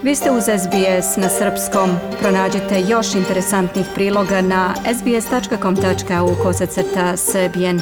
Vi ste uz SBS na srpskom. Pronađite još interesantnih priloga na sbs.com.au/srbijen.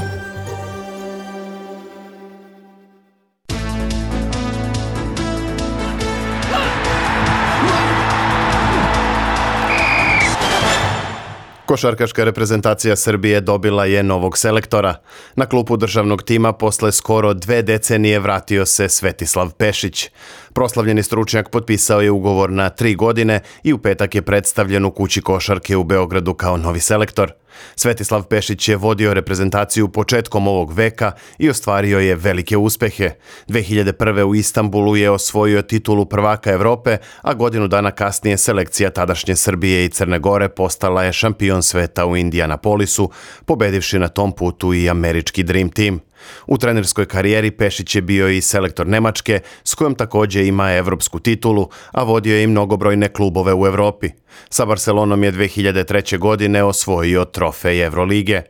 Košarkaška reprezentacija Srbije dobila je novog selektora. Na klupu državnog tima posle skoro 2 decenije vratio se Svetislav Pešić. Proslavljeni stručnjak potpisao je ugovor na 3 godine i u petak je predstavljen u kući košarke u Beogradu kao novi selektor. Svetislav Pešić je vodio reprezentaciju početkom ovog veka i ostvario je velike uspehe. 2001. u Istanbulu je osvojio titulu prvaka Evrope, a godinu dana kasnije selekcija tadašnje Srbije i Crne Gore postala je šampion sveta u Indianapolisu, pobedivši na tom putu i američki Dream Team. U trenerskoj karijeri Pešić je bio i selektor Nemačke, s kojom također ima evropsku titulu, a vodio je i mnogobrojne klubove u Evropi. Sa Barcelonom je 2003. godine osvojio trofej Evrolige.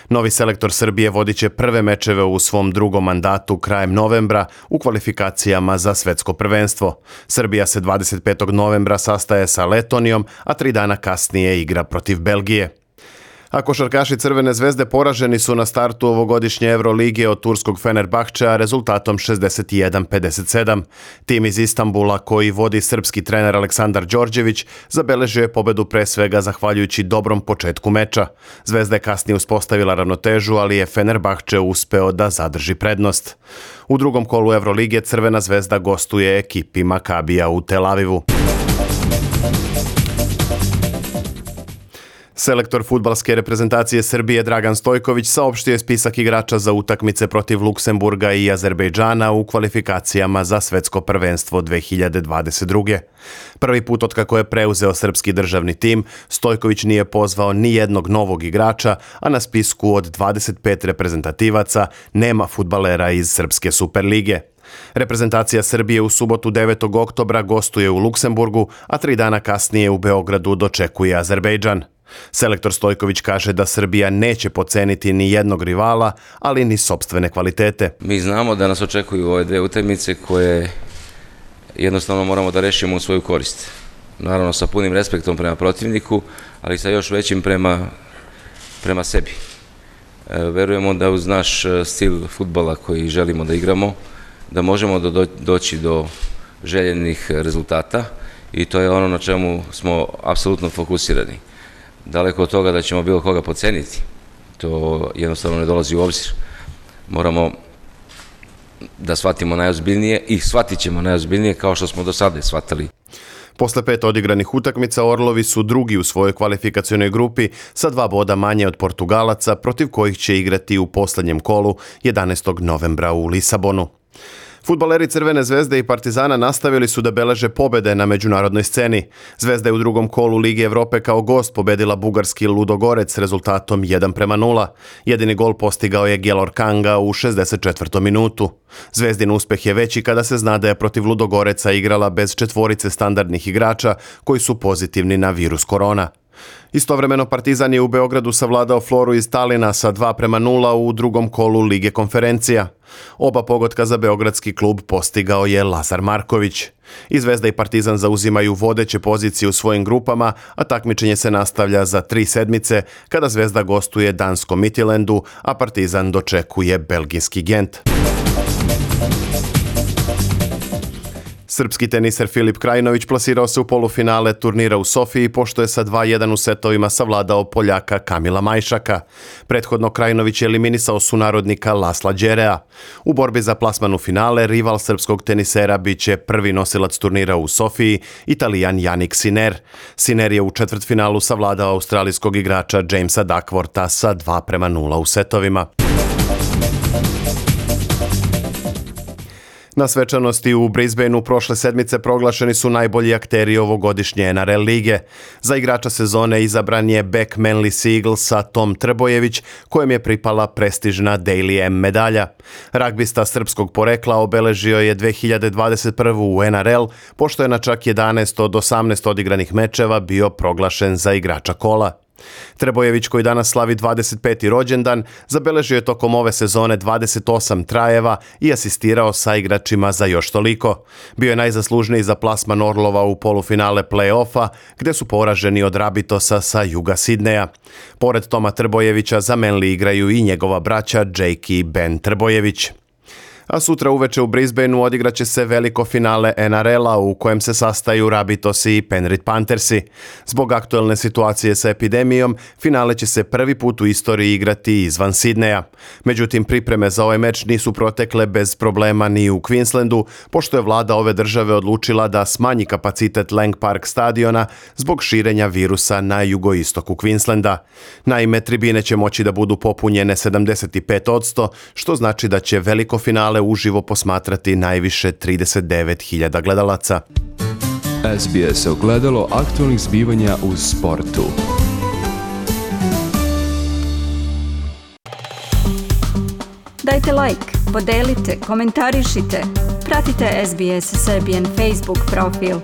Novi selektor Srbije vodit će prve mečeve u svom drugom mandatu krajem novembra u kvalifikacijama za svetsko prvenstvo. Srbija se 25. novembra sastaje sa Letonijom, a 3 dana kasnije igra protiv Belgije. A košarkaši Crvene zvezde poraženi su na startu ovogodišnje Evrolige od turskog Fenerbahčea rezultatom 61-57. Tim iz Istanbula, koji vodi srpski trener Aleksandar Đorđević, zabeležio je pobedu pre svega zahvaljujući dobrom početku meča. Zvezda je kasnije uspostavila ravnotežu, ali je Fenerbahče uspeo da zadrži prednost. U drugom kolu Evrolige Crvena zvezda gostuje ekipi Makabija u Tel Avivu. Selektor fudbalske reprezentacije Srbije Dragan Stojković saopštio je spisak igrača za utakmice protiv Luksemburga i Azerbejdžana u kvalifikacijama za svetsko prvenstvo 2022. Prvi put otkako je preuzeo srpski državni tim, Stojković nije pozvao ni jednog novog igrača, a na spisku od 25 reprezentativaca nema fudbalera iz Srpske Superlige. Reprezentacija Srbije u subotu 9. oktobra gostuje u Luksemburgu, a 3 dana kasnije u Beogradu dočekuje Azerbejdžan. Selektor Stojković kaže da Srbija neće poceniti ni jednog rivala, ali ni sopstvene kvalitete. Mi znamo da nas očekuju ove 2 utakmice koje jednostavno moramo da rešimo u svoju korist. Naravno sa punim respektom prema protivniku, ali sa još većim prema sebi. Verujemo da uz naš stil fudbala koji želimo da igramo, da možemo doći do željenih rezultata i to je ono na čemu smo apsolutno fokusirani. Daleko od toga da ćemo bilo koga poceniti, to jednostavno ne dolazi u obzir. Moramo da shvatimo najozbiljnije i shvatit ćemo najozbiljnije kao što smo do sada shvatali. Posle 5 odigranih utakmica Orlovi su drugi u svojoj kvalifikacionoj grupi sa 2 boda manje od Portugalaca, protiv kojih će igrati u posljednjem kolu 11. novembra u Lisabonu. Fudbaleri Crvene zvezde i Partizana nastavili su da beleže pobede na međunarodnoj sceni. Zvezda je u drugom kolu Lige Evrope kao gost pobedila bugarski Ludogorec rezultatom 1-0. Jedini gol postigao je Gelor Kanga u 64. minutu. Zvezdin uspeh je veći kada se zna da je protiv Ludogoreca igrala bez 4 standardnih igrača koji su pozitivni na virus korona. Istovremeno Partizan je u Beogradu savladao Floru iz Talina sa 2-0 u drugom kolu Lige konferencija. Oba pogotka za beogradski klub postigao je Lazar Marković. I Zvezda i Partizan zauzimaju vodeće pozicije u svojim grupama, a takmičenje se nastavlja za 3 sedmice kada Zvezda gostuje danskom Midtjyllandu, a Partizan dočekuje belgijski Gent. Srpski teniser Filip Krajinović plasirao se u polufinale turnira u Sofiji pošto je sa 2-1 u setovima savladao Poljaka Kamila Majšaka. Prethodno Krajinović je eliminisao sunarodnika Lasla Đerea. U borbi za plasman u finale rival srpskog tenisera biće prvi nosilac turnira u Sofiji, Italijan Jannik Sinner. Sinner je u četvrtfinalu savladao australijskog igrača Jamesa Duckwortha sa 2-0 u setovima. Na svečanosti u Brisbaneu prošle sedmice proglašeni su najbolji akteri ovogodišnje NRL lige. Za igrača sezone izabran je bek Manly Seaglesa Tom Trbojević, kojem je pripala prestižna Daily M medalja. Ragbista srpskog porekla obeležio je 2021. u NRL, pošto je na čak 11 od 18 odigranih mečeva bio proglašen za igrača kola. Trbojević, koji danas slavi 25. rođendan, zabeležio je tokom ove sezone 28 trajeva i asistirao sa igračima za još toliko. Bio je najzaslužniji za plasman Orlova u polufinale play-offa, gde su poraženi od Rabitosa sa juga Sidneja. Pored Toma Trbojevića za Manly igraju i njegova braća Jake i Ben Trbojević. A sutra uveče u Brisbaneu odigraće se veliko finale NRL-a u kojem se sastaju Rabitosi i Penrith Panthersi. Zbog aktuelne situacije sa epidemijom, finale će se prvi put u istoriji igrati izvan Sidneja. Međutim, pripreme za ovaj meč nisu protekle bez problema ni u Queenslandu, pošto je vlada ove države odlučila da smanji kapacitet Lang Park stadiona zbog širenja virusa na jugoistoku Queenslanda. Naime, tribine će moći da budu popunjene 75%, što znači da će veliko finale uživo posmatrati najviše 39.000 gledalaca. SBS ogledalo aktualnih zbivanja u sportu. Dajte like, podelite, komentarišite. Pratite SBS Serbian Facebook profil.